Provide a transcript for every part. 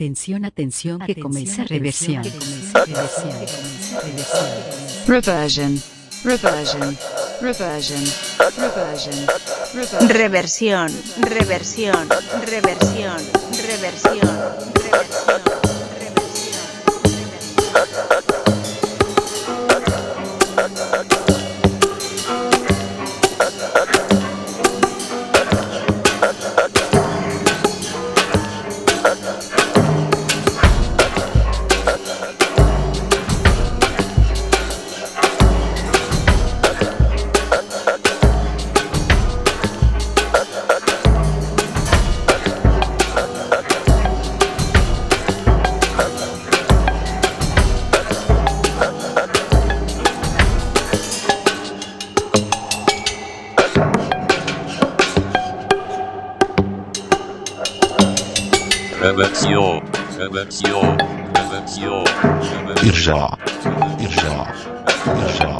Atención, atención, que comienza reversión. Reversion, reversion, reversion, reversion, reversion. Reversión, reversión, reversión, reversión, reversión. Reversión, reversión, reversión, Irja, irja, irja,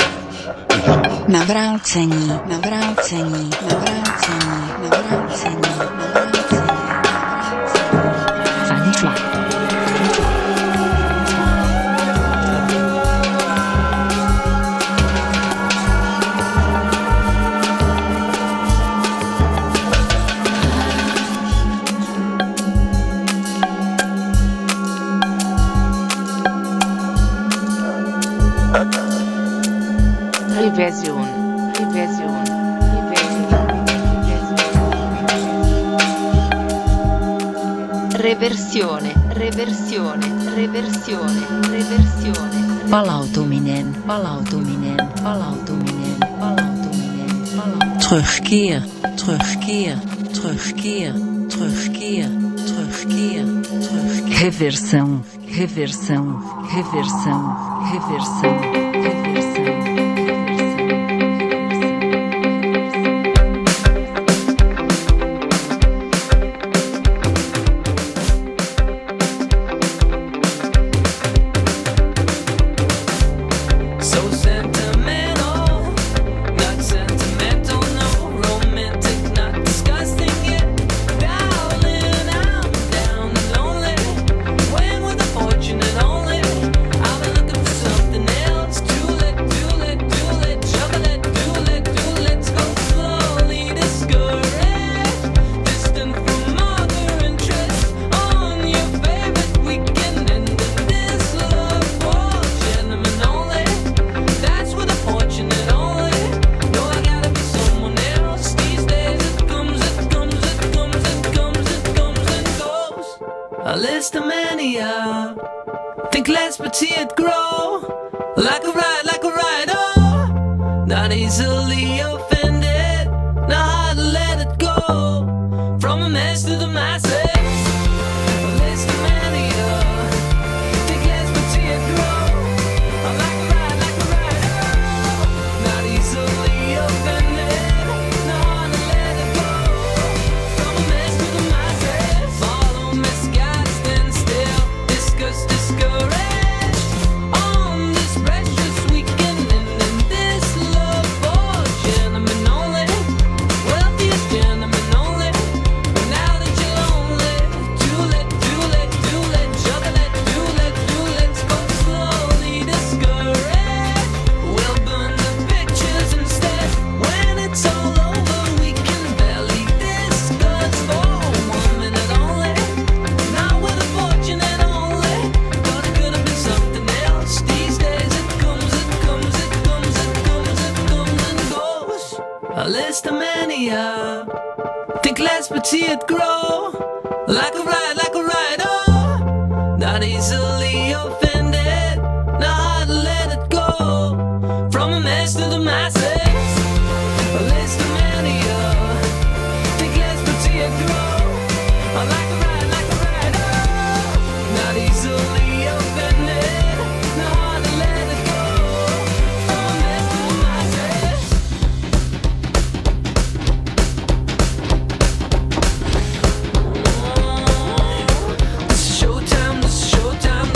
irja. Nawróceni, nawróceni, nawróceni, nawróceni, nawróceni. Fanny Fly. Reversion, reversion, reversione, reversione, reversione, reversione. Palautuminen, palautuminen, palautuminen, palautuminen, palautuminen. Terugkeer, terugkeer, terugkeer, terugkeer, terugkeer, terugkeer. Reversão, reversão, reversão, reversão, reversão. So sentimental, not sentimental, no romantic, not disgusting yet. Darling, I'm down and lonely. When with a fortune and only, I've been looking for something else. Chocolate, let's go slowly, discouraged, distant from other interests. On your favorite weekend, and in this love for gentlemen only. That's with a fortune and only. No, I gotta be someone else. These days it comes, it comes, it comes, it comes, it comes and goes. A list of mania. Think less but see it grow. Like a ride, oh. Not easily offended. Not hard to let it go. From a mess to the masses. A list of mania. Think less but see it grow. Like a ride, oh. Not easily offended. Not hard to let it go. From a mess to the masses. Follow misguided, stand still. Discuss, discouraged. On this precious weekend, and in this love for gentlemen only. Wealthiest gentlemen only. But now that you're lonely, chocolate, let's go slowly, discouraged. We'll burn the pictures instead. When it's all over, we can barely discuss for 1 minute only. Not with a fortune and only. Thought it could have been something else. These days it comes, it comes, it comes, it comes, it comes and goes. A list of mania. Think less but see it grow. Like a ride, oh. Not easily offended. Not hard to let it go. From a mess to the masses. A list of mania. Think less but see it grow. Like a ride, oh. Not easily offended. Not hard to let it go. From a mess to the masses. This is showtime, this is showtime.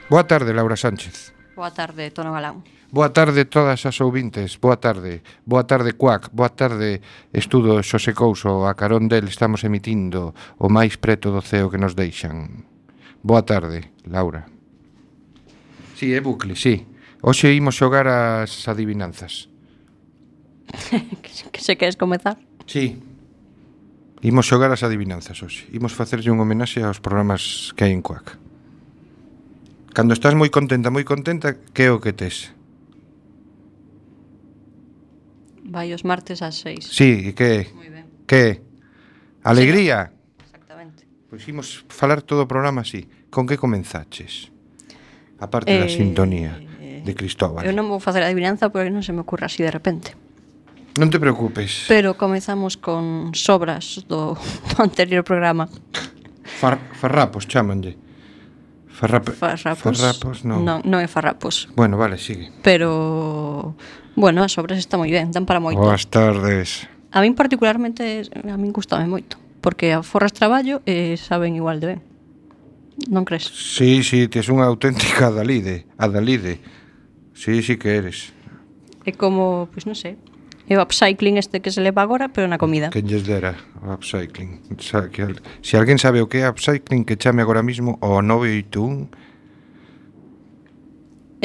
Boa tarde, Laura Sánchez. Boa tarde, Tono Galán. Boa tarde todas as ouvintes. Boa tarde, Cuac. Boa tarde, Estudo Xosé Couso. A carón del estamos emitindo o máis preto do ceo que nos deixan. Boa tarde, Laura. Sí, é bucle, sí. Hoxe imos xogar as adivinanzas. Que se queres comezar? Sí. Imos xogar as adivinanzas hoxe. Imos facerlle un homenaxe aos programas que hai en Cuac. Cando estás moi contenta, que é o que tes? Vai os martes ás 6. Sí, e que? Moi ben. Que? Alegría? Exactamente. Pois imos falar todo o programa así. Con que comenzaches? A parte da sintonía de Cristóbal. Eu non vou facer a adivinanza porque non se me ocurre así de repente. Non te preocupes. Pero comezamos con sobras do anterior programa. Farrapos, chámanlle. Farrapos non. Non é farrapos. Bueno, vale, sigue. Pero, bueno, as sobras está moi ben, dan para moito. Boas tardes. A min particularmente, a min gustame moito. Porque aforras traballo e saben igual de ben. Non crees? Sí, tes unha auténtica Adalide. Sí que eres. É como, pois non sei, é o upcycling este que se leva agora, pero na comida. Que lles dera o upcycling. Se alguén sabe o que é upcycling, que chame agora mismo ao 981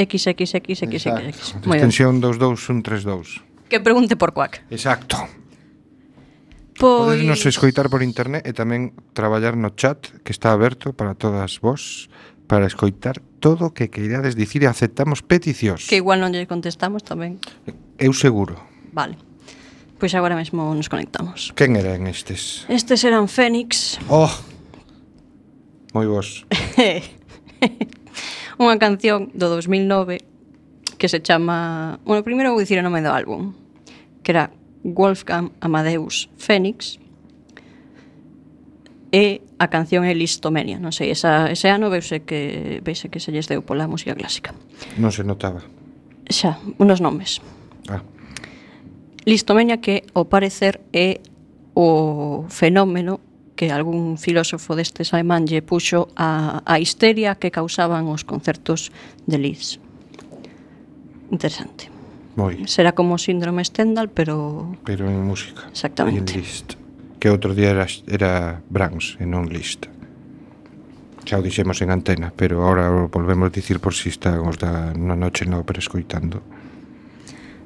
XXXXX. Moi ben. extensión 22132. Que pregunte por Cuac. Exacto. Pois... Podes nos escoitar por internet e tamén traballar no chat que está aberto para todas vos para escoitar todo o que queirades dicir e aceptamos peticións. Que igual non lle contestamos tamén. Eu seguro. Vale. Pois agora mesmo nos conectamos. Quen eran estes? Estes eran Fénix. Oh! Moi vos. Unha canción do 2009 que se chama... Bueno, primeiro vou dicir o nome do álbum, que era Wolfgang Amadeus Fénix, e a canción é Listomania. Non sei, ese ano veuse que se lles deu pola música clásica. Non se notaba. Xa, unos nomes. Listomania, que ao parecer é o fenómeno que algún filósofo destes alemán lle puxo a histeria que causaban os concertos de Liszt. Interesante. Moi. Será como síndrome Stendhal, pero en música. Exactamente. E en Liszt. Que outro día era Brahms e non Liszt. Xa o dixemos en antena, pero agora volvemos a dicir por si están os da na noche na ópera escoitando.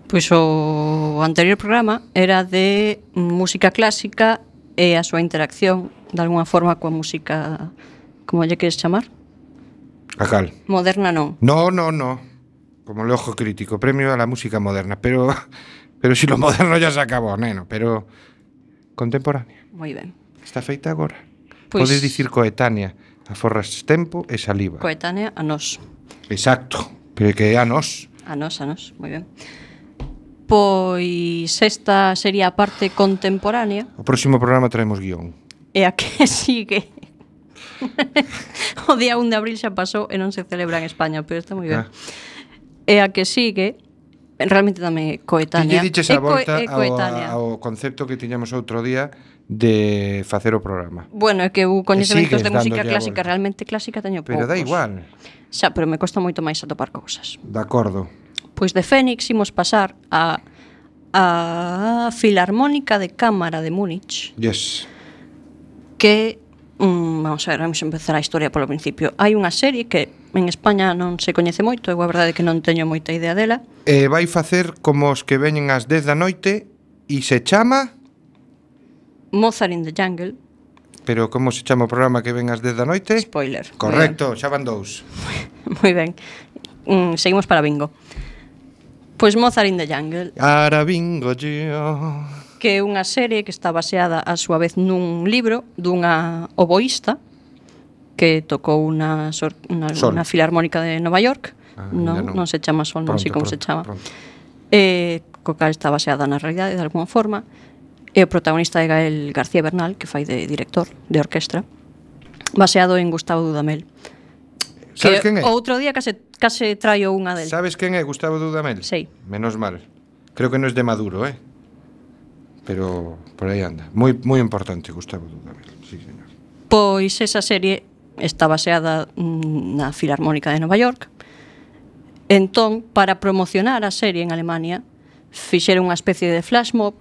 Pois o anterior programa era de música clásica e a súa interacción de alguna forma coa música, como lle queres chamar? A cal? Moderna non. No. Como el ojo crítico, premio a la música moderna, pero si lo moderno ya se acabó, neno, pero contemporánea. Moi ben. Está feita agora. Pois... Podes dicir coetánea, aforras tempo e saliva. Coetánea a nós. Exacto, pero que é a nós. A nós, moi ben. Pois esta sería a parte contemporánea. O próximo programa traemos guión. E a que sigue. O día 1 de abril xa pasou e non se celebra en España, pero está moi ben. E a que sigue, realmente tamén é coetánea. Ti diches a volta ao concepto que tiñamos outro día de facer o programa. Bueno, é que o coñecementos de música clásica, realmente clásica teño poucos. Pero dá igual. Xa, pero me costa moito máis atopar cousas. De acordo. Pois de Fénix imos pasar a Filarmónica de Cámara de Múnich. Yes. Que, vamos a ver, vamos a empezar a historia polo principio. Hai unha serie que en España non se coñece moito, eu a verdade é que non teño moita idea dela. Vai facer como os que veñen ás 10 da noite e se chama... Mozart in the Jungle. Pero como se chama o programa que ven ás 10 da noite? Spoiler. Correcto, xa van dous. Moi ben. Seguimos para bingo. Pois Mozart in the Jungle. Ara bingo yo. Que é unha serie que está baseada a súa vez nun libro dunha oboísta que tocou unha filarmónica de Nova York. Non se chama Sol, non sei como se chama. Co cal está baseada na realidade de alguma forma. E o protagonista é Gael García Bernal, que fai de director de orquestra, baseado en Gustavo Dudamel. Sabes quen é? Outro día case traio unha del. Sabes quen é Gustavo Dudamel? Sí. Menos mal. Creo que non é de Maduro, pero por aí anda. Moi importante Gustavo Dudamel, sí, señor. Pois esa serie está baseada na Filarmónica de Nova York. Entón, para promocionar a serie en Alemania, fixeron unha especie de flash mob.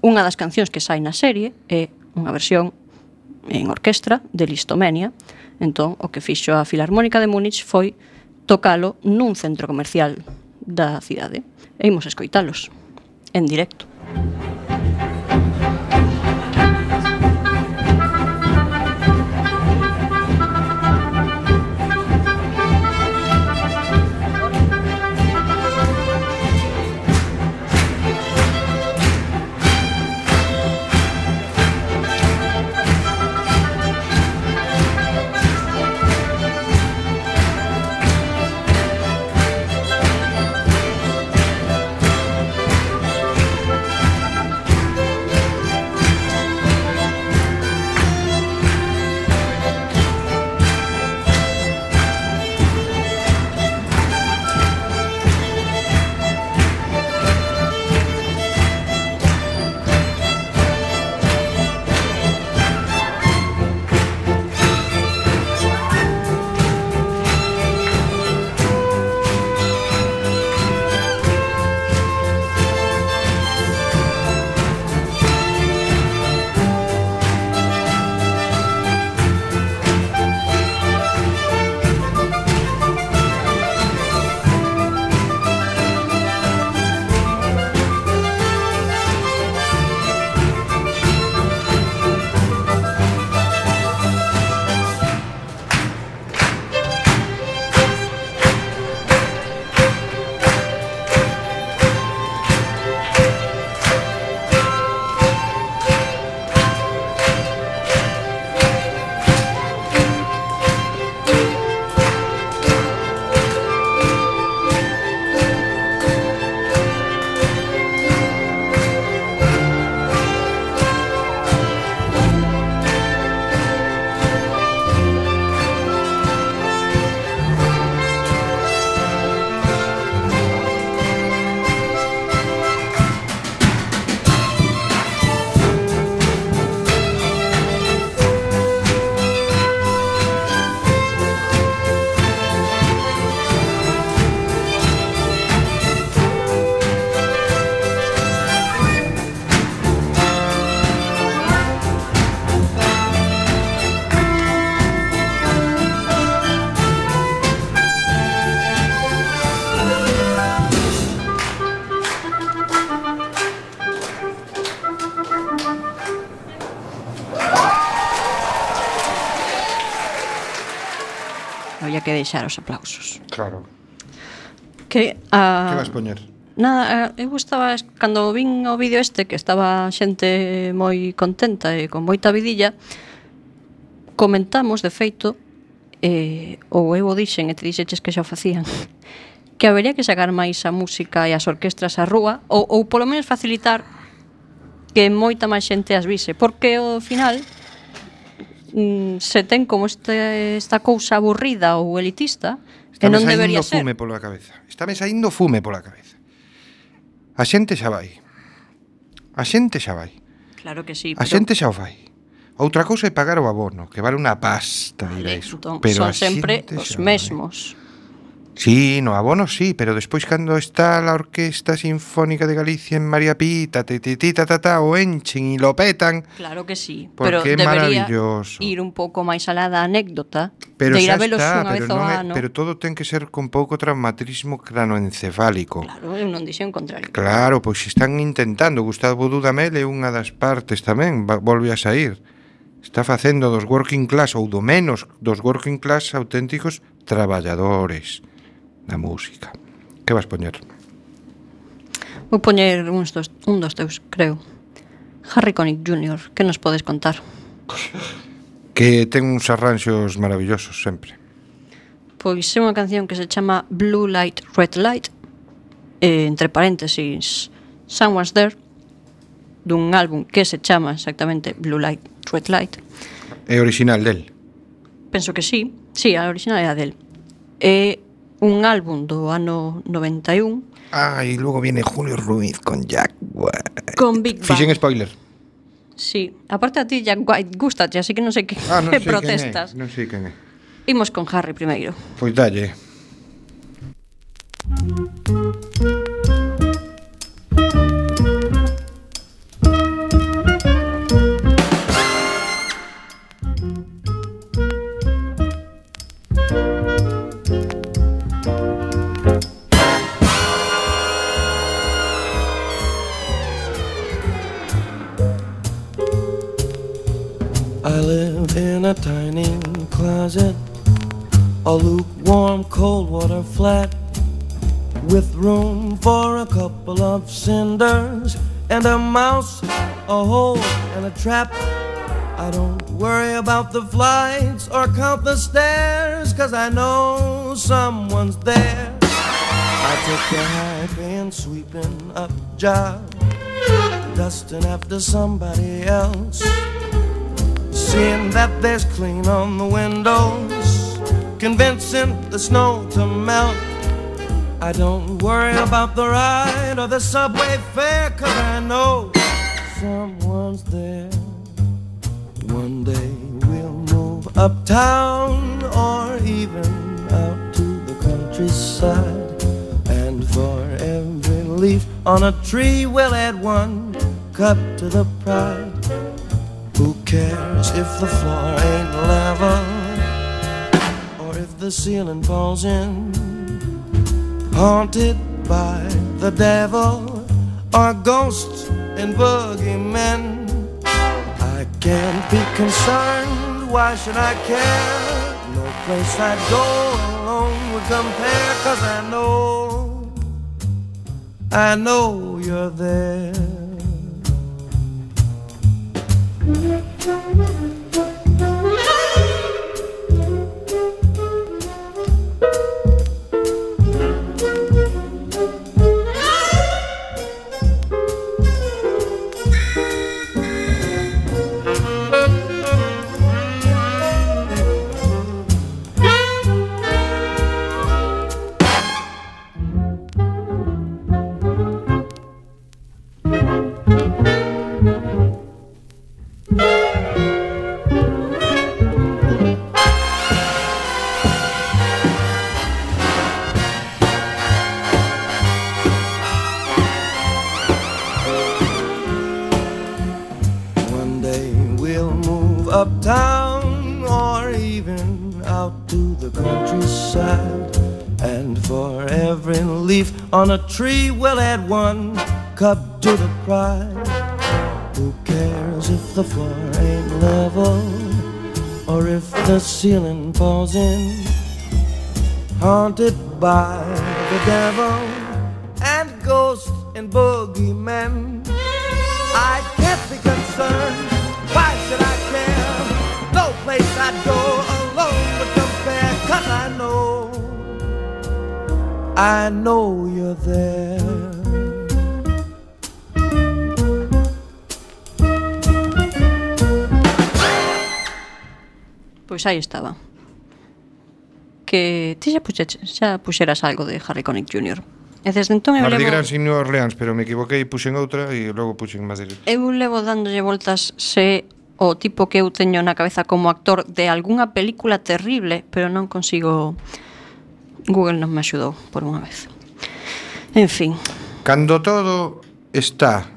Unha das cancións que sai na serie é unha versión en orquestra de Listomenia. Entón, o que fixo a Filarmónica de Múnich foi tocalo nun centro comercial da cidade. E imos escoitalos en directo. Había que deixar os aplausos. Claro. Que vas poñer? Nada, eu estaba, cando vin o vídeo este, que estaba xente moi contenta e con moita vidilla, comentamos, de feito, ou eu o dixen, e te dixeches que xa o facían, que habería que sacar máis a música e as orquestras á rúa, ou polo menos facilitar que moita máis xente as vise, porque ao final se ten como esta cousa aburrida ou elitista, que non debería ser. Fume pola cabeza. Estáme saindo fume pola cabeza. A xente xa vai. A xente xa vai. Claro que sí. A xente xa o fai. Outra cousa é pagar o abono, que vale unha pasta, vale, iso. Entón, pero son sempre os mesmos. Sí, no abono sí, pero despois cando está a Orquesta Sinfónica de Galicia en María Pita, o enchen e lo petan. Claro que sí, pero debería ir un pouco máis alá da anécdota, pero de ir a velos unha vez ao ano. Pero todo ten que ser con pouco traumatismo cranoencefálico. Claro, eu non dixen o contrario. Claro, pois están intentando. Gustavo Dudamel é unha das partes tamén, volve a sair. Está facendo dos working class, ou do menos dos working class auténticos traballadores da música. Que vas poñer? Vou poñer un dos teus, creo. Harry Connick Jr., que nos podes contar? Que ten uns arranxos maravillosos sempre. Pois é unha canción que se chama Blue Light, Red Light, entre paréntesis Someone's There, dun álbum que se chama exactamente Blue Light, Red Light. É original del? Penso que sí, a original é a del. É un álbum do ano 91. Ah, e logo viene Julio Ruiz con Jack White. Con Big Bang. Fixen spoiler. Sí, aparte a ti Jack White gustache, así que non sei que, Non que sei protestas. Non sei quen é. Imos con Harry primeiro. Pois dalle. I live in a tiny closet, a lukewarm cold water flat, with room for a couple of cinders and a mouse, a hole and a trap. I don't worry about the flights or count the stairs, 'cause I know someone's there. I take a high-paying sweeping up job, dusting after somebody else, seeing that there's clean on the windows, convincing the snow to melt. I don't worry about the ride or the subway fare, 'cause I know someone's there. One day we'll move uptown or even out to the countryside, and for every leaf on a tree we'll add one cup to the pride. Who cares if the floor ain't level, or if the ceiling falls in? Haunted by the devil or ghosts and boogeymen, I can't be concerned, why should I care? No place I'd go alone would compare, 'cause I know you're there. Uptown or even out to the countryside, and for every leaf on a tree we'll add one cup to the pride. Who cares if the floor ain't level, or if the ceiling falls in? Haunted by the devil and ghosts and boogeymen, I can't be concerned, why should I care? No place I'd go alone would compare, 'cause I know you're there. Pois aí estaba. Que ti xa puxeras algo de Harry Connick Jr. E desde entón eu Mardi levo... Gras en New Orleans, pero me equivoquei e puxen outra e logo puxen Madrid. Eu levo dándolle voltas se o tipo que eu teño na cabeza como actor de algunha película terrible, pero non consigo... Google non me axudou por unha vez. En fin. Cando todo está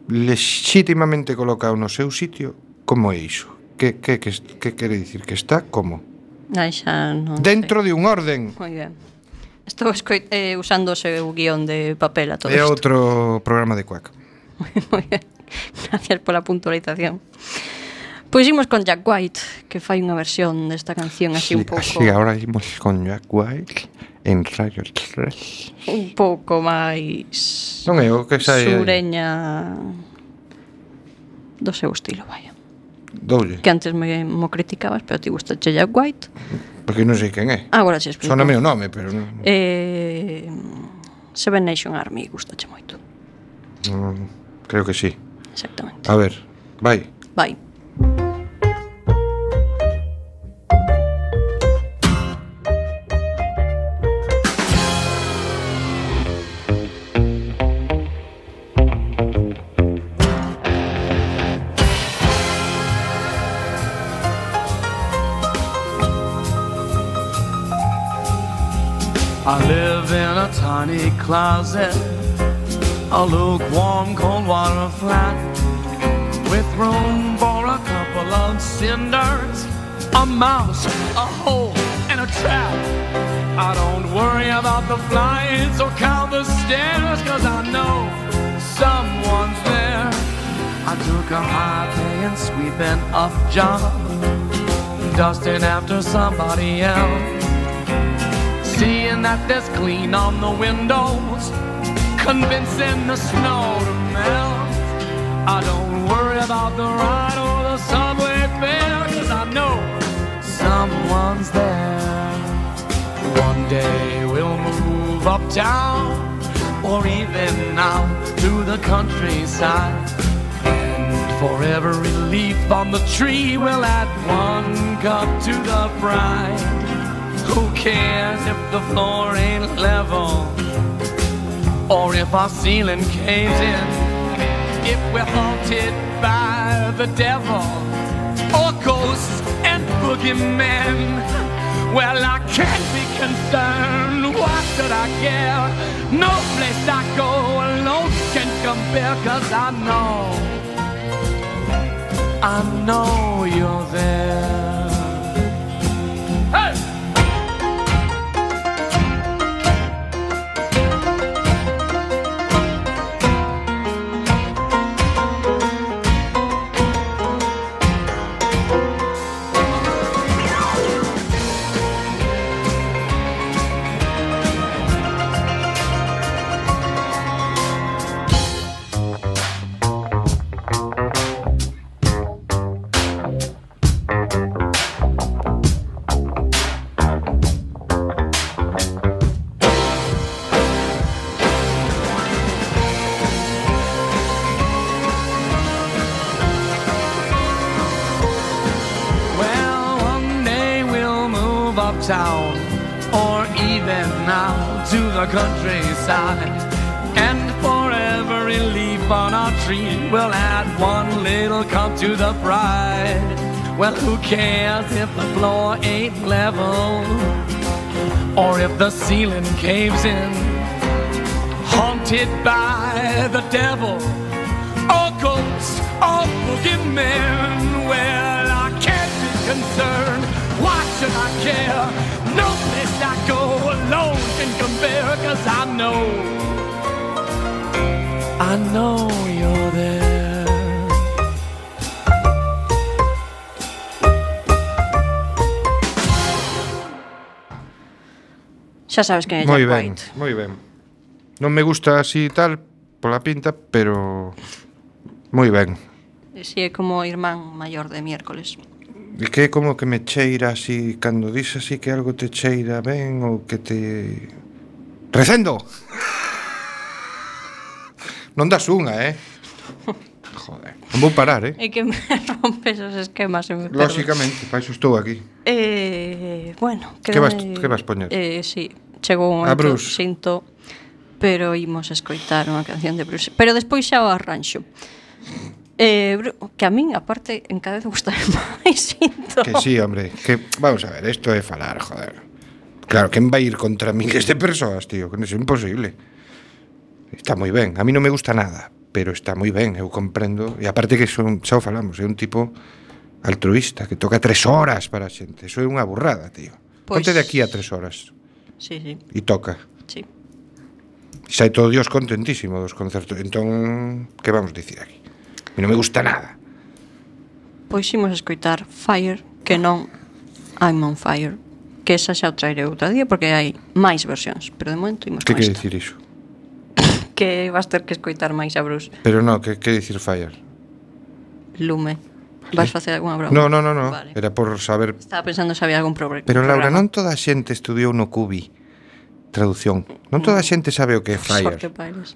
legitimamente colocado no seu sitio, como é iso? Que quere dicir? Que está como? Ai, xa non dentro sei. de un orden. Moi ben. Estou usando o seu guión de papel a todo isto. É outro programa de Quack. Moi ben. Gracias pola puntualización. Pois imos con Jack White, que fai unha versión desta canción así un pouco... Así, ahora imos con Jack White en Radio 3. Un pouco máis... Non é o que sai... Sureña do seu estilo, vaya. Doulle. Que antes mo criticabas, pero ti gusta Jack White. Porque non sei quen é. Agora se explico. Sóname o nome, pero non... Seven Nation Army gustache moito. Creo que sí. Exactamente. A ver, vai. Vai. I live in a tiny closet, a lukewarm cold water flat, with room for a couple of cinders, a mouse, a hole, and a trap. I don't worry about the flights or count the stairs, 'cause I know someone's there. I took a high-paying sweeping up job, dusting after somebody else, seeing that there's clean on the windows, convincing the snow to melt. I don't worry about the ride or the subway fare, 'cause I know someone's there. One day we'll move uptown, or even out to the countryside, and for every leaf on the tree we'll add one cup to the bride. Who cares if the floor ain't level, or if our ceiling caves in, if we're haunted by the devil, or ghosts and boogeymen? Well, I can't be concerned, why should I care? No place I go alone can compare, 'cause I know you're there. Hey! Town, or even now to the countryside, and for every leaf on our tree we'll add one little cup to the bride. Well, who cares if the floor ain't level, or if the ceiling caves in, haunted by the devil, or ghosts, or boogeymen? Well, I can't be concerned, why should I care? No place I go alone can compare, 'cause I know you're there. Xa sabes que é Moi Jack ben, White. moi ben. Non me gusta así tal, pola pinta, pero moi ben. Si é como o irmán maior de miércoles. E que é como que me cheira así, cando dis así que algo te cheira ben, ou que te... Recendo! Non das unha, Joder, non vou parar, É que me rompes os esquemas e me perdo. Lóxicamente, para iso estou aquí. Bueno, Que vas poñer? Sí, chegou un A momento, Bruce. sinto, pero imos escoitar unha canción de Bruce. Pero despois xa o arranxo. Que a min, aparte, en cada vez gusta máis sinto. Que sí, hombre, que vamos a ver, isto é falar, joder. Claro, quen vai ir contra miles de persoas, tío, que non é imposible. Está moi ben, a mí non me gusta nada, pero está moi ben, eu comprendo. E aparte que son, xa o falamos, é un tipo altruista, que toca 3 horas para a xente. Eso é unha burrada, tío. Pois... Ponte de aquí a 3 horas. Sí, sí. E toca. Sí. E sai todo Dios contentísimo dos concertos. Entón, que vamos dicir aquí? A mí non me gusta nada. Pois imos escoitar Fire, que non I'm on Fire, que esa xa o traeré outro día porque hai máis versións, pero de momento imos Que con quere esta. dicir iso? Que vas ter que escoitar máis a Bruce. Pero non, que dicir fire? Lume. Vas facer algunha broma? No. Vale. Era por saber. Estaba pensando se había algún problema. Pero Laura, non toda a xente estudiou no Cubi traducción. Non toda a xente sabe o que é fire. Sorte paires.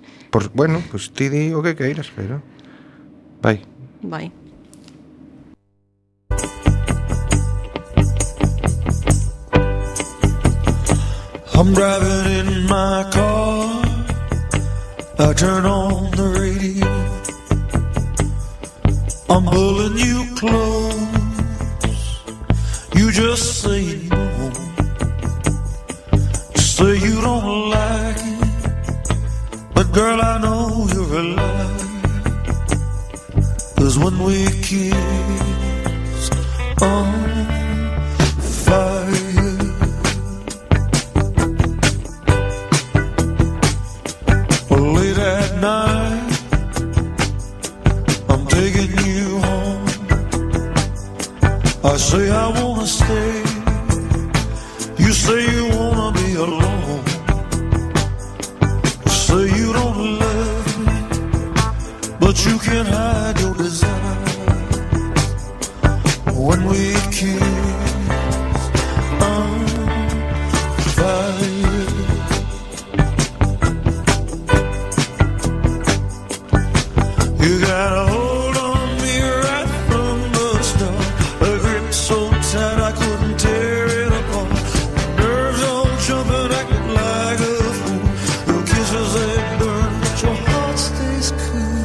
Bueno, pues ti di o que queiras, pero vai. Vai. I'm driving in my car, I turn on the radio, I'm pulling you close, you just say no, just say you don't like it, but girl, I know you're alive. 'Cause when we kiss on fire, late at night, I'm taking you home. I say I wanna stay, you say you wanna be alone. Say you don't love me, but you can't hide your desire. When we kiss on fire, you got a hold on me right from the start, a grip so tight I couldn't tear it apart. Nerves all jumping, acting like a fool. Your kisses they burn, but your heart stays cool.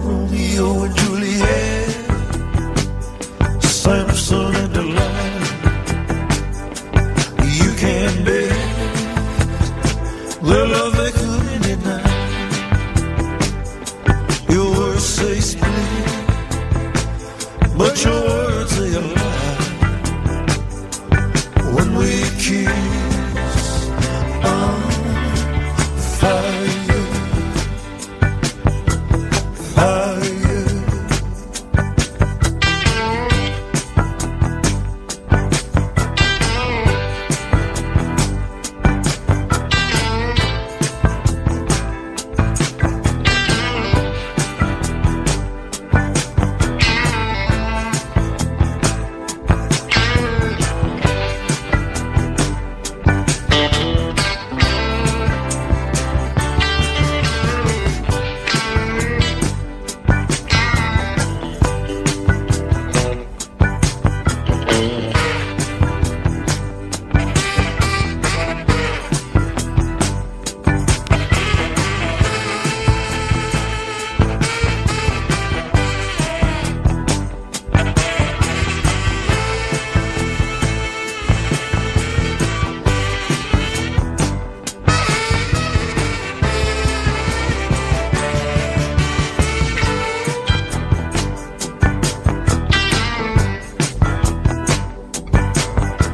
Romeo and Juliet, Samson and Delilah. You can't bear their love, they couldn't deny. Your words say split, but your words say a lie. When we kiss on fire, fire.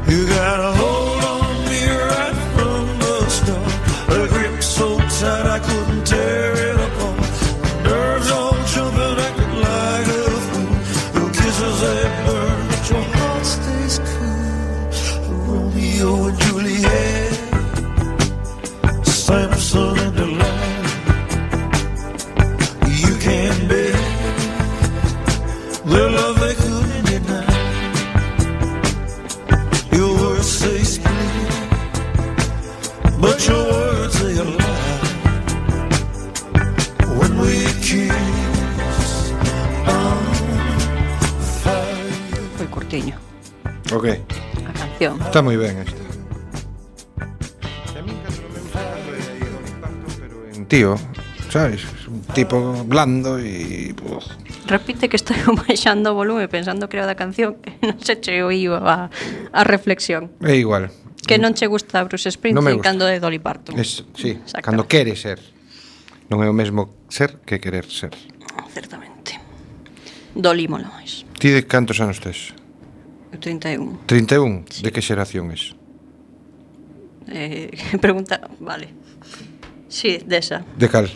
You got a hold on me right from the start, a grip so tight I couldn't tear it apart. Nerves all jumping, acting like a fool. Your kisses they burn, but your heart stays cool. Romeo and Juliet, Samson and Delilah. You can't bear their love, they couldn't deny. Your words say split, but your words say a lie. When we kiss on fire. Foi curtiño Ok, a canción. está moi ben esta. A min cando me gusta cando é aí Dolly Parton, pero en tío, sabes? Un tipo blando e... Repite que estou baixando o volume pensando que era da canción que non se che oíu a reflexión. É igual. Que non che gusta Bruce Non me Springsteen gusta. cando é Dolly Parton. Sí, Exactamente. cando quere ser. Non é o mesmo ser que querer ser. Certamente. Dolly mola máis. Ti de cantos anos tes? 31. 31? De que xeración es? Pregunta, vale. Sí, desa. De cal?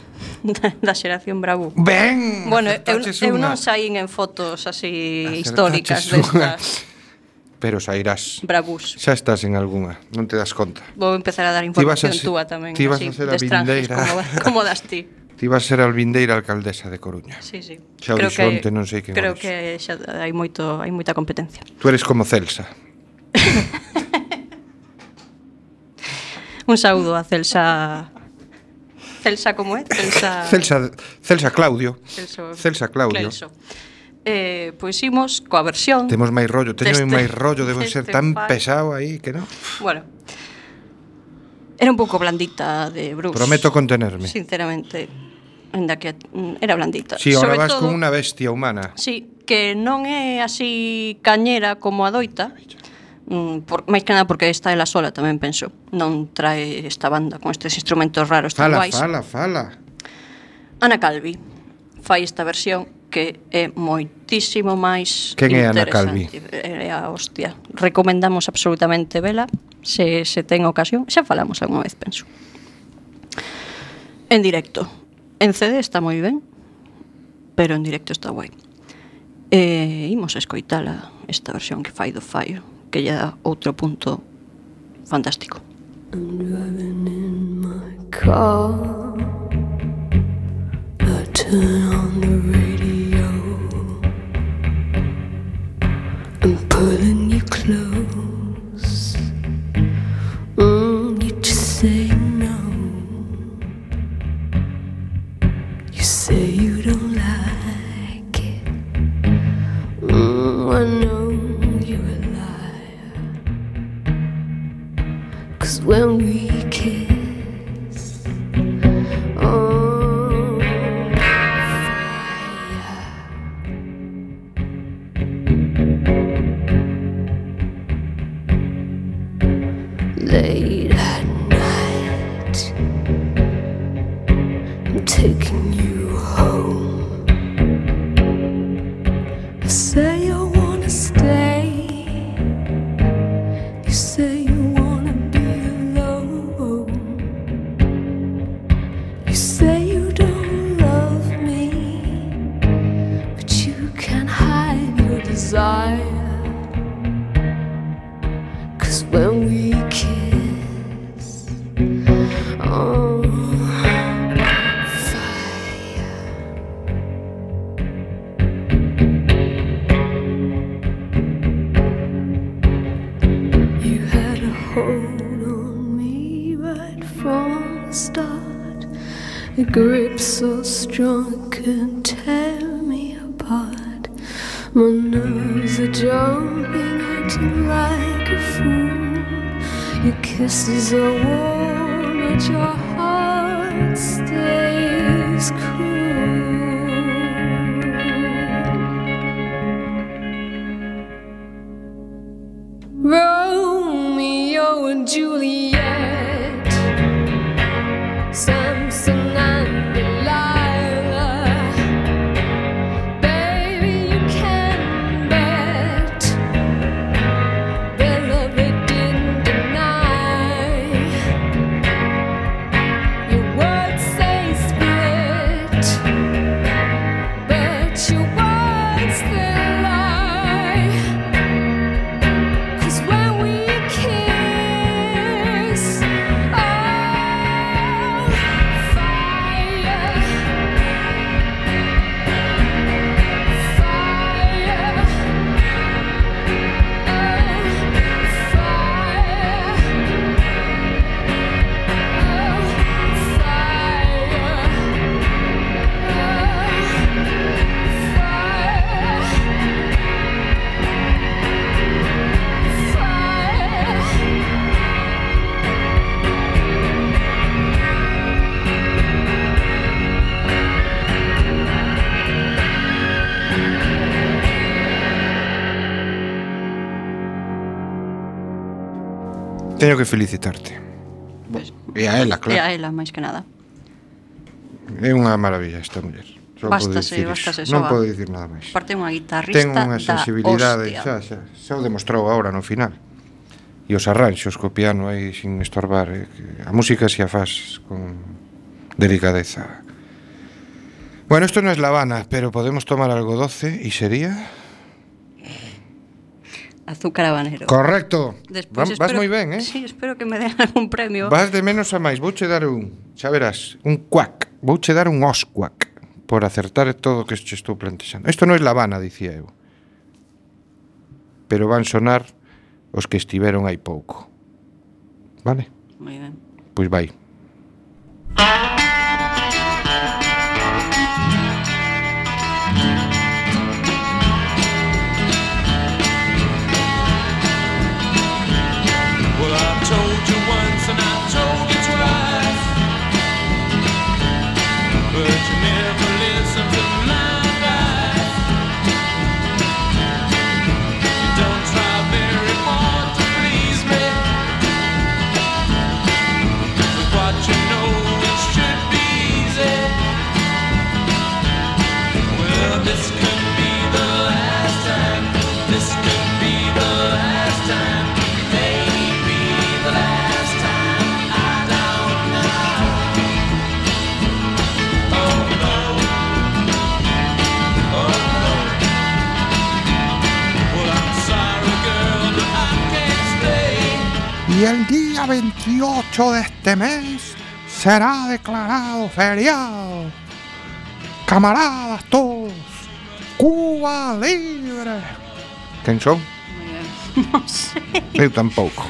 Da xeración Bravo. Ben! Bueno, acertaches eu unha. non saín en fotos así Acertaches históricas unha. destas Pero sairás. Bravús. Xa estás en algunha, non te das conta. Vou empezar a dar Ti vas a información ser- túa tamén, ti vas así, a ser de a extranjers, vindeira. como das ti. Ti vas ser a vindeira alcaldesa de Coruña. Sí, sí. Xa o dixo onte, non sei quen o Creo dixo. que xa hai moita competencia. Tú eres como Celsa. Un saúdo a Celsa. Celsa como é? Celsa Claudio. Celso. Celsa Claudio. Celso. Pois imos coa versión. Temos máis rollo, teño deste- máis rollo, debo ser deste tan fai. pesado aí que non. Bueno. Era un pouco blandita de Bruce. Prometo contenerme. Sinceramente, ainda que era blandita. Si, ahora Sobre vas todo, con unha bestia humana. Sí, que non é así cañera como a doita, Máis que nada porque está ela sola, tamén penso. Non trae esta banda con estes instrumentos raros tan guais. Fala. Ana Calvi fai esta versión que é moitísimo máis Quen é Ana interesante. É a hostia. Recomendamos absolutamente vela se ten ocasión. Xa falamos algunha vez, penso. En directo. En CD está moi ben, pero en directo está guai. Imos a escoitala esta versión que fai do Fallo, que lle dá outro punto fantástico. I'm driving in my car. I turn on the radio. I'm pulling you close. You just say no. You say you don't like it. I know you're a liar. 'Cause when we kiss, oh, fire. Late at night, I'm taking you home. I say I wanna stay. You say you wanna be alone. You say you don't love me, but you can't hide your desire. 'Cause when we kiss, oh, fire. You had a hold on me right from the start. A grip so strong it couldn't tear me apart. My nerves are jumping, acting like a fool. Your kisses are warm, but your heart stays cool. Romeo and Juliet, Samson and Delilah. Baby, you can bet their love they didn't deny. Your words say split, but your words they lie. 'Cause when we kiss, oh, fire, fire, Teño que felicitarte. E a ela, E claro. a ela, máis que nada. É unha maravilla esta muller. Só podo Bástase, dicir bástase, iso. Non soa. podo dicir nada máis. Aparte unha guitarrista Ten unha sensibilidade, da hostia. xa o demostrou agora no final. E os arranxos co piano aí sin estorbar, que a música si a faz con delicadeza. Bueno, esto no es La Habana, pero podemos tomar algo doce y sería... Azúcar habanero. Correcto. Despois Vas moi ben, eh? Sí, espero que me den algún premio. Vas de menos a máis. Vouche dar xa verás, un cuac. Vouche dar un oscuac por acertar todo o que che estou plantexando. Isto non é La Habana, dicía eu. Pero van sonar os que estiveron hai pouco. Vale? Moi ben. Pois vai. Well, I told you once and I told you twice, but you never listened to my advice. You don't try very hard to Y el día 28 de este mes será declarado feriado. Camaradas todos, Cuba libre. Quen son? Non sei. Eu tampouco.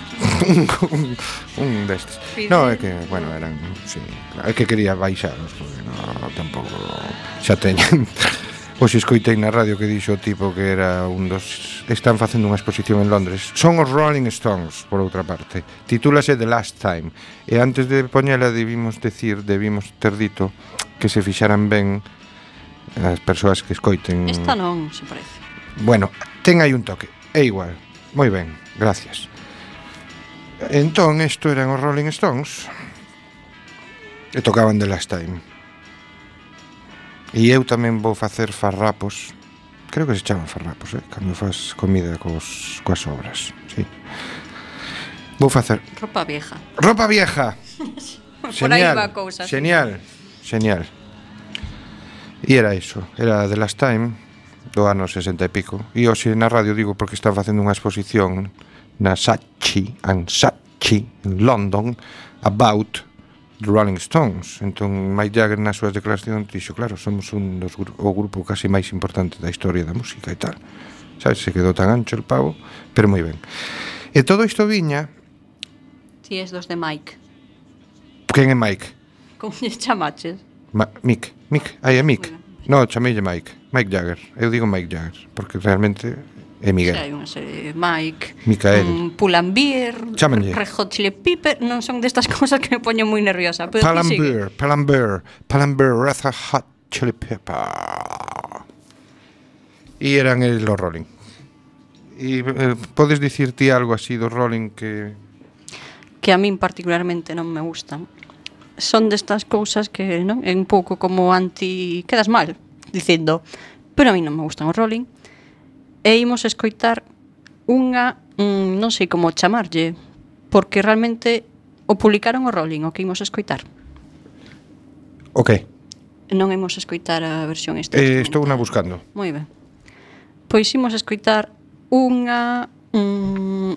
un destes. No, é que, bueno, eran, sí, claro, é que quería baixaros, porque no, tampouco xa teñen. Hoxe escoitei na radio que dixo o tipo que era un dos... Están facendo unha exposición en Londres. Son os Rolling Stones, por outra parte. Titúlase The Last Time. E antes de poñela debimos ter dito que se fixaran ben as persoas que escoiten. Esta non, se parece. Bueno, ten aí un toque. É igual. Moi ben, gracias. Entón, isto eran os Rolling Stones e tocaban The Last Time. E eu tamén vou facer farrapos. Creo que se chaman farrapos, cando faz comida coas sobras, sí. Vou facer Ropa vieja. Ropa vieja. Por aí va a cousa. Genial. E era iso, era The Last Time do ano 60 e pico. E hoxe na radio digo porque están facendo unha exposición na Saatchi en London about the Rolling Stones. Entón Mick Jagger nas súas declaracións dixo, claro, somos o grupo casi máis importante da historia da música e tal. Sabes, se quedou tan ancho el pavo, pero moi ben. E todo isto viña... Ti es dos de Mike. Quen é Mike? Como lle chamaches? Mick, aí é Mick. No, chameille Mick Jagger. Eu digo Mick Jagger, porque realmente é Miguel. Hai unha serie de Mike, Micael. Pull&Bear, Chámenlle. Red Hot Chili Pepper, non son destas cousas que me poñen moi nerviosa, pero ti sigue. Pull&Bear, Red Hot Chili Pepper. E eran los Rolling. E podes dicir ti algo así dos Rolling que a min particularmente non me gustan? Son destas cousas que, non, é un pouco como quedas mal dicindo, pero a mí non me gustan os Rolling. E imos escoitar unha, non sei como chamarlle, porque realmente o publicaron o Rolling, o que imos escoitar. Ok. Non imos escoitar a versión esta. Estou unha buscando. Moi ben. Pois imos escoitar unha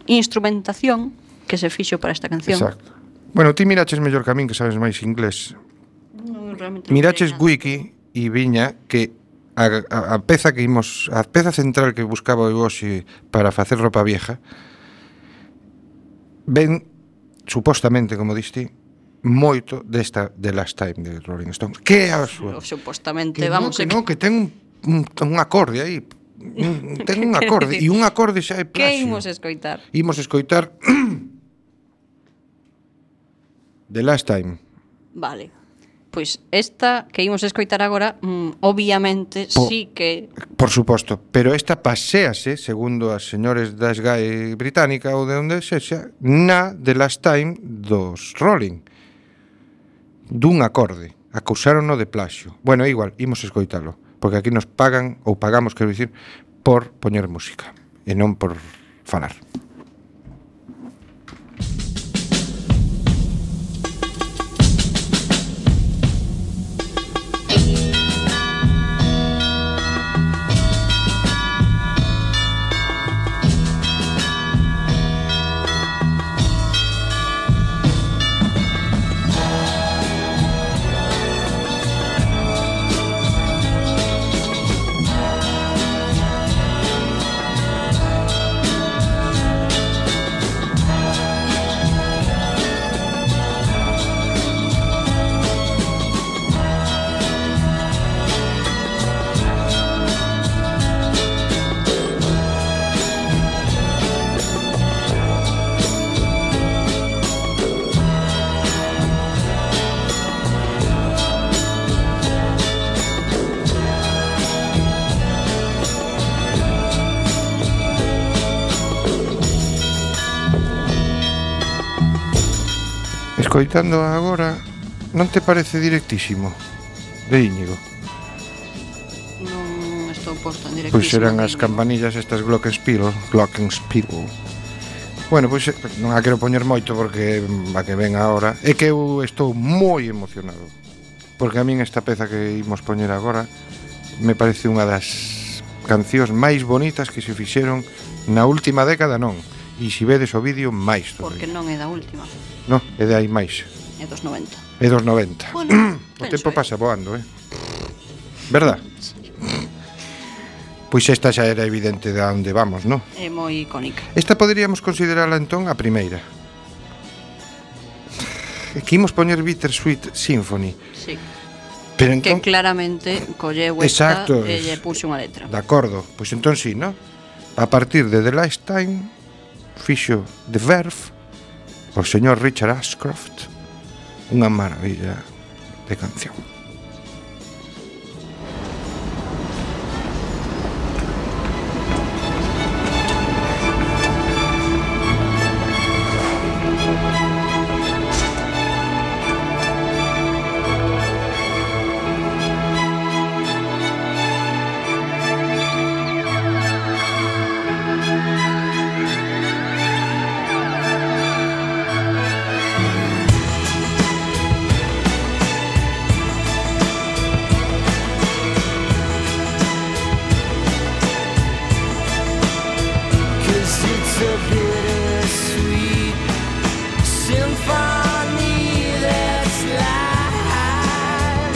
instrumentación que se fixo para esta canción. Exacto. Bueno, ti miraches mellor que a min, que sabes máis inglés. Non, realmente Miraches Wiki e viña que a peza que imos, a peza central que buscaba eu hoxe para facer ropa vieja ven supostamente, como diste, moito desta The Last Time de Rolling Stones. Que é a súa? Supostamente, que ten un acorde aí. Ten un acorde e un acorde xa é plagio. Que imos escoitar? Imos escoitar The Last Time. Vale. Pois esta que imos escoitar agora, obviamente, sí que... Por suposto, pero esta paséase, segundo as señores da SGAE británica ou de onde sexa, na The Last Time dos Rolling. Dun acorde. Acusárono de plaxio. Bueno, igual, imos escoitalo, porque aquí nos pagan, ou pagamos, quero dicir, por poñer música, e non por falar. Escoitando agora, non te parece directísimo? De Íñigo. Non estou posto en directísimo. Pois eran as campanillas estas Glockenspiel. Bueno, pois non a quero poñer moito porque a que ven agora. É que eu estou moi emocionado, porque a min esta peza que imos poñer agora me parece unha das cancións máis bonitas que se fixeron na última década, non. E se vedes o vídeo, máis Porque todavía. non é da última, No, é de aí máis. é dos 90. É dos 90. Bueno, O tempo pasa voando, verdad? Pois esta xa era evidente de onde vamos, non? É moi icónica. Esta poderíamos considerala entón a primeira. Que imos poñer Bittersweet Symphony. Sí. Pero Que entón, claramente colleu esta Exacto. e lle puxo unha letra. de acordo, pois entón sí, non? A partir de The Last Time fixo The Verve o señor Richard Ashcroft, unha maravilla de canción. Cause it's a bittersweet symphony that's live,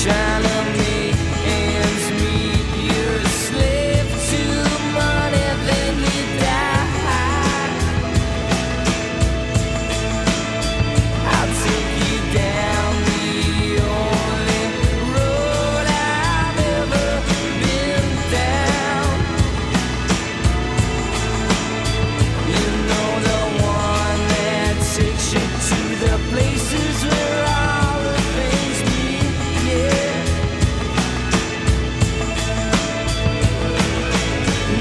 trying to make ends meet. You're a slave to money, then you die. I'll take you down the only road I've ever been down. You know, the one that takes you to the places where all the things meet, yeah.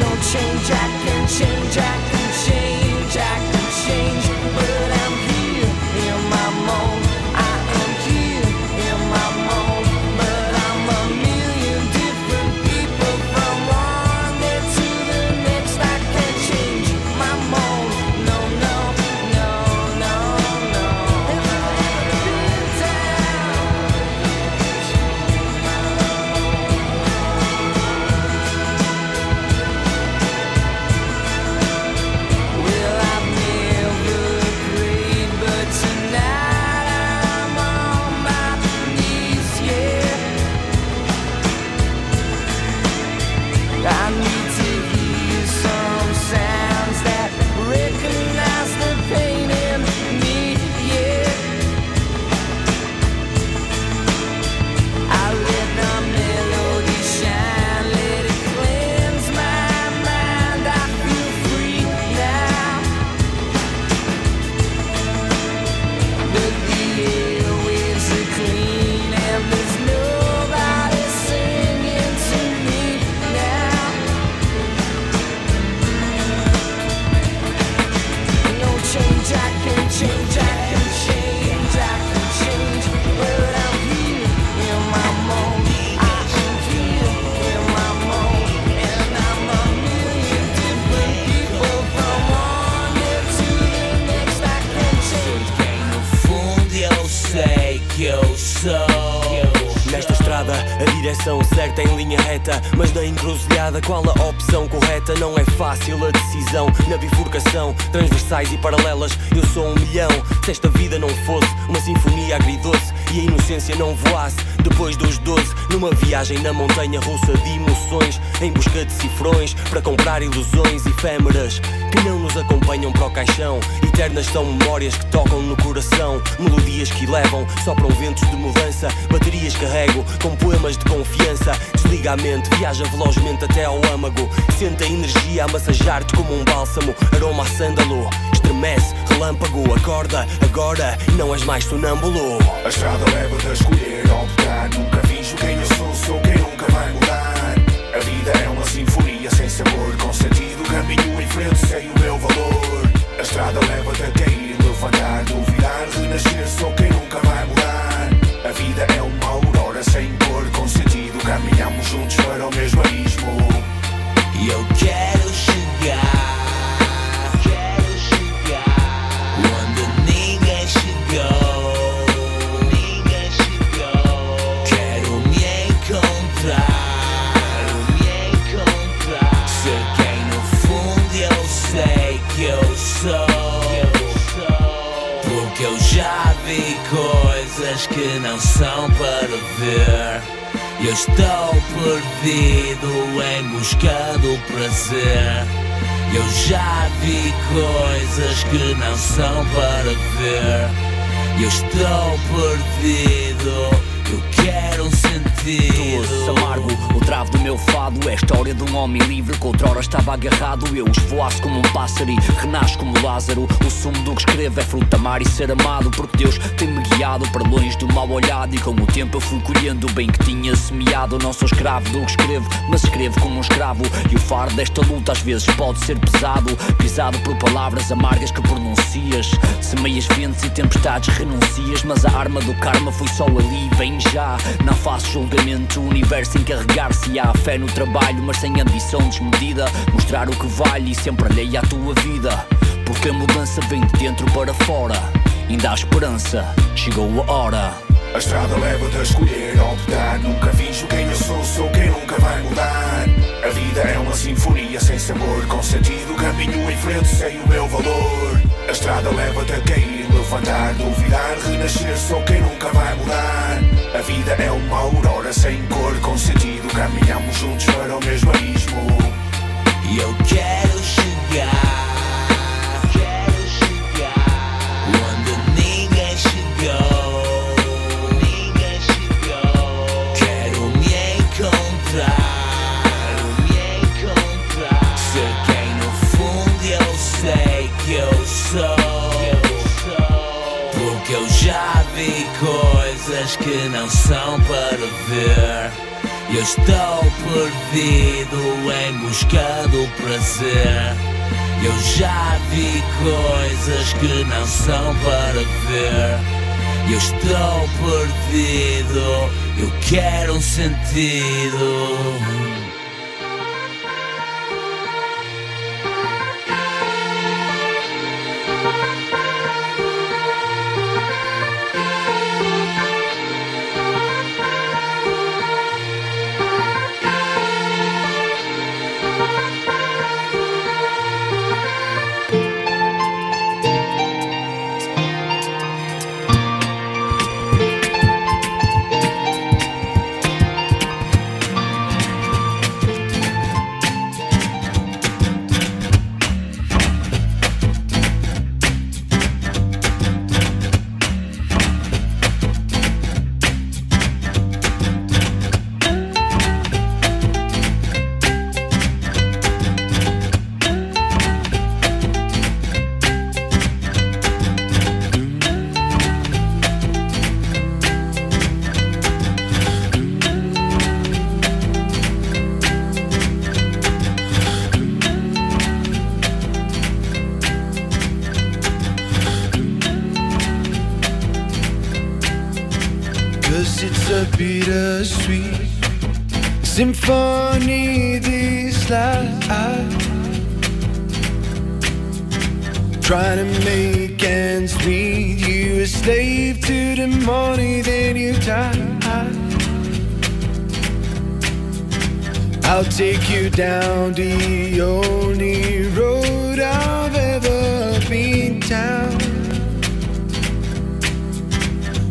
No change, I can change, I can change, I can change, but I'm here in my mold. I am here in my mold, but I'm a million different people from one day to the next. I can't change my mold. No, no, no, no, no. Well, I've never prayed, but tonight I'm on my knees, yeah. I need to hear some sounds that recognize the pain in me, yeah. I let the melody shine, let it cleanse my mind. I feel free now, but the airwaves are clean and there's nobody singing to me now. No change, I can change, I can change, I can change, but I'm here in my mold. I am here in my mold, and I'm a million different people from one day to the next. I can change. No fundo eu sei que eu sou. Nesta estrada, a direção certa em linha reta, mas na encruzilhada, qual a opção correta? Não é fácil a decisão, na bifurcação, transversais e paralelas, eu sou 1 milhão. Se esta vida não fosse uma sinfonia agridoce e a inocência não voasse depois dos 12, numa viagem na montanha russa de emoções, em busca de cifrões para comprar ilusões efêmeras que não nos acompanham para o caixão. Eternas são memórias que tocam no coração, melodias que levam, sopram ventos de mudança, baterias carrego com poemas de confiança. Desliga a mente, viaja velozmente até ao âmago, sente a energia a massajar-te como um bálsamo, aroma a sândalo, estremece, relâmpago, acorda, agora não és mais sonâmbulo. A estrada leva-te a escolher, a optar. Nunca finjo quem eu sou quem nunca vai mudar. A vida é uma sinfonia sem sabor, com sentido, caminho em frente, sei o meu valor. A estrada leva-te a cair, levantar, duvidar, renascer, sou quem nunca vai mudar. A vida é uma aurora sem cor, com sentido, caminhamos juntos para o mesmo abismo. E eu quero chegar onde ninguém chegou. Quero me encontrar, ser quem que não são para ver. Eu estou perdido em busca do prazer. Eu já vi coisas que não são para ver. Eu estou perdido. Eu quero um sentido. Doce, amargo, o travo do meu fado é a história de um homem livre que outrora estava agarrado. Eu esvoaço como um pássaro e renasço como Lázaro. O sumo do que escrevo é fruto amar e ser amado, porque Deus tem-me guiado para longe do mal olhado. E com o tempo eu fui colhendo o bem que tinha semeado. Não sou escravo do que escrevo, mas escrevo como um escravo. E o fardo desta luta às vezes pode ser pesado, pisado por palavras amargas que pronuncias. Semeias ventos e tempestades renuncias, mas a arma do karma foi só ali, bem já. Não faço julgamento, o universo encarregar-se. Há fé no trabalho, mas sem ambição desmedida. Mostrar o que vale e sempre alheia à tua vida, porque a mudança vem de dentro para fora. Ainda há esperança, chegou a hora. A estrada leva-te a escolher, a optar. Nunca finjo quem eu sou quem nunca vai mudar. A vida é uma sinfonia sem sabor, com sentido, caminho em frente, sei o meu valor. A estrada leva-te a cair, levantar, duvidar, renascer, sou quem nunca vai mudar. A vida é uma aurora sem cor, com sentido, caminhamos juntos para o mesmo abismo. E eu quero chegar onde ninguém chegou. Quero me encontrar, ser quem no fundo eu sei que eu sou. Porque eu já vi coisas que não são para ver. Eu estou perdido em busca do prazer. Eu já vi coisas que não são para ver. Eu estou perdido, eu quero um sentido. Bittersweet symphony this life, trying to make ends meet. You a slave to the money, then you die. I'll take you down the only road I've ever been down.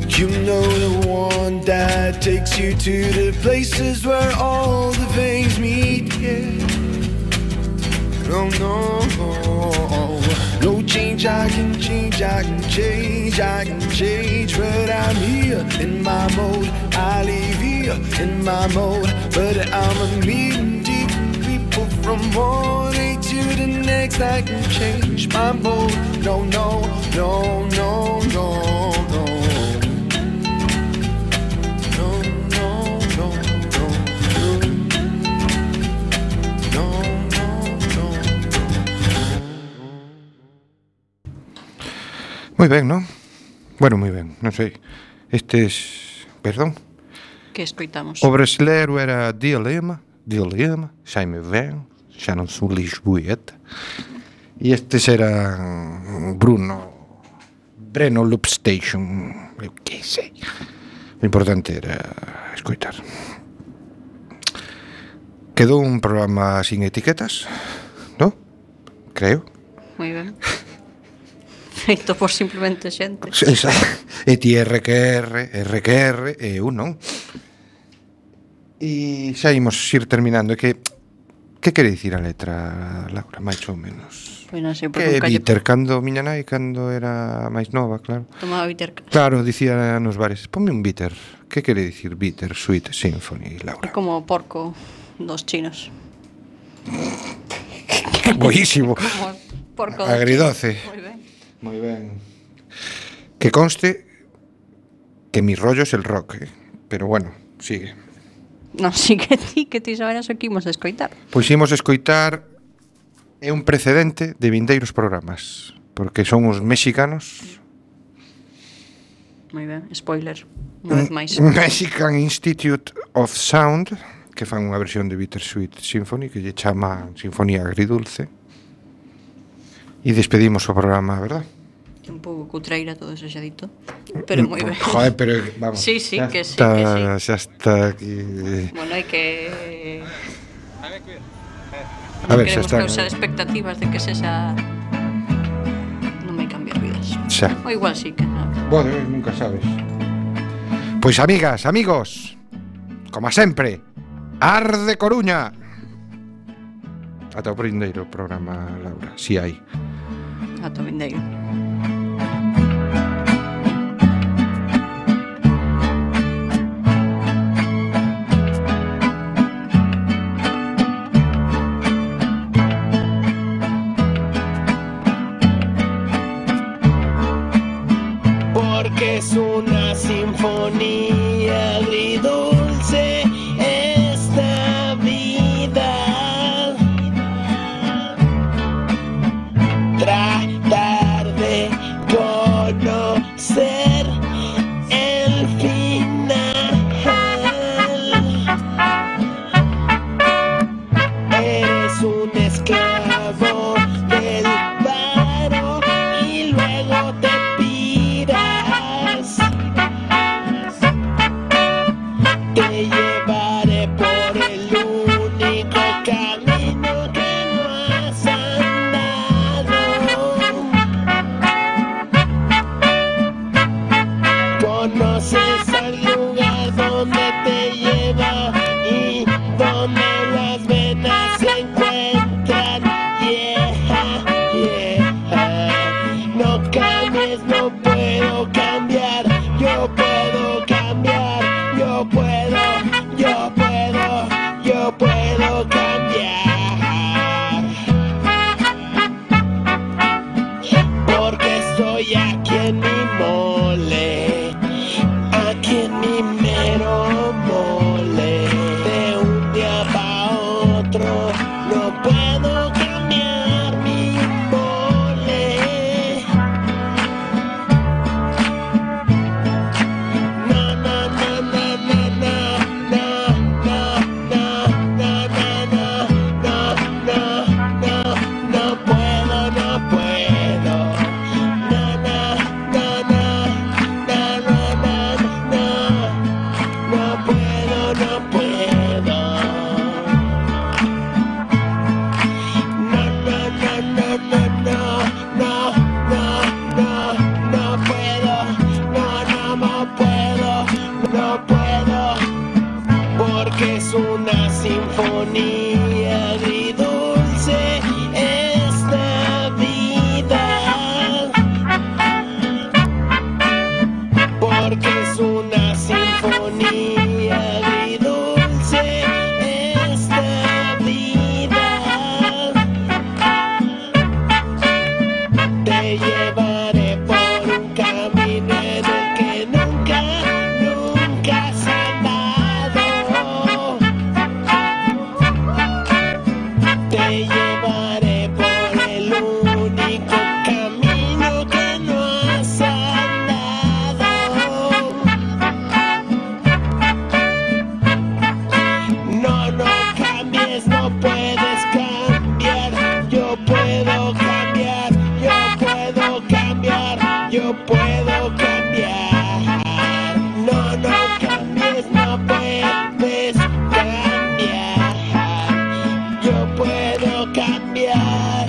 You know, the one that takes you to the places where all the veins meet, yeah. No, no, no change, I can change, I can change, I can change. But I'm here in my mode, I live here in my mode. But I'm a meeting different people from one day to the next. I can change my mode, no, no, no, no, no, no. Moi ben, non? Bueno, moi ben, non sei. Estes... Perdón? Que escoitamos? O brasileiro era Dilema, xa me ven, xa non son lisboeta. E estes eran Breno Loop Station, eu que sei. O importante era escoitar. Quedou un programa sin etiquetas, non? Creo. Moi ben. feito por simplemente xente. E ti RQR e eu non. E xa imos ir terminando. Que quere dicir a letra, Laura, máis ou menos? Pois non sei, porque Que nunca bitter, cando miña nai, cando era máis nova, claro. tomaba bitter. Claro, dicía nos bares, ponme un bitter. Que quere dicir bitter sweet symphony, É Laura? como porco dos chinos. Boísimo. Como porco dos Agridoce. chinos. Moi ben. Moi ben. Que conste que mi rollo es el rock, pero bueno, sigue. Non, sí que ti saberas o que imos a escoitar. Pois imos escoitar é un precedente de vindeiros programas, porque son os mexicanos. Moi ben, spoiler. Unha vez máis. Mexican Institute of Sound, que fan unha versión de Bittersweet Symphony, que lle chama Sinfonía Agridulce. E despedimos o programa, verdad? Un pouco cutreira todo eso xa dito, pero moi ben. Joder, pero vamos. Sí, que sí, está, que sí. Xa está aquí. Bueno, hai que A ver, xa queremos está. causar expectativas de que sexa non me cambiar vidas. Xa. O igual sí que non. Bueno, nunca sabes. Pois amigas, amigos, como sempre, arde Coruña. Ata o prindeiro programa, Laura, si hai. Ata o vindeiro. Porque es una sinfonía agridulce esta vida. Tratar de conocer el final. Eres un esclavo del paro y luego te piras. Te llevaré por el único camino que no has andado. Conoces al lugar donde te lleva y donde las venas se encuentran. Yeah, yeah. No cambies, no puedo cambiar. Yo puedo cambiar. Yo puedo cambiar. Porque estoy aquí en mi mole, aquí en mi mero mole. De un día para otro no puedo cambiar mi mole. No, no, no, no, no, no, no, no, no, no, no, no, no, no, no puedo, no puedo. No, no, no, no, no, no, no, no, no puedo, no puedo. No, no, no, no, no, no, no, no, no, no puedo. No, no puedo, no puedo. Porque es una sinfonía agridulce esta vida. Porque es una sinfonía agridulce esta vida. Te llevaré por un camino en el que nunca, nunca has andado. Te llevaré por el único camino que no has andado. No, no cambies, no puedes cambiar. Yo puedo cambiar, yo puedo cambiar, yo puedo cambiar. No, no cambies, no puedes cambiar. Yo puedo cambiar.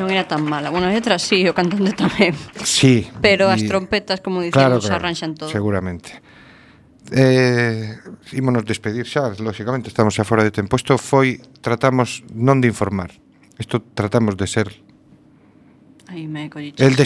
Non era tan mala. Bueno, a letra sí, o cantante tamén. Sí. Pero as trompetas, como dicimos, arranxan todo. Seguramente. Ímonos despedir xa, lógicamente, estamos xa fora de tempo. Isto foi, tratamos non de informar. Isto tratamos de ser Aí me colliches. el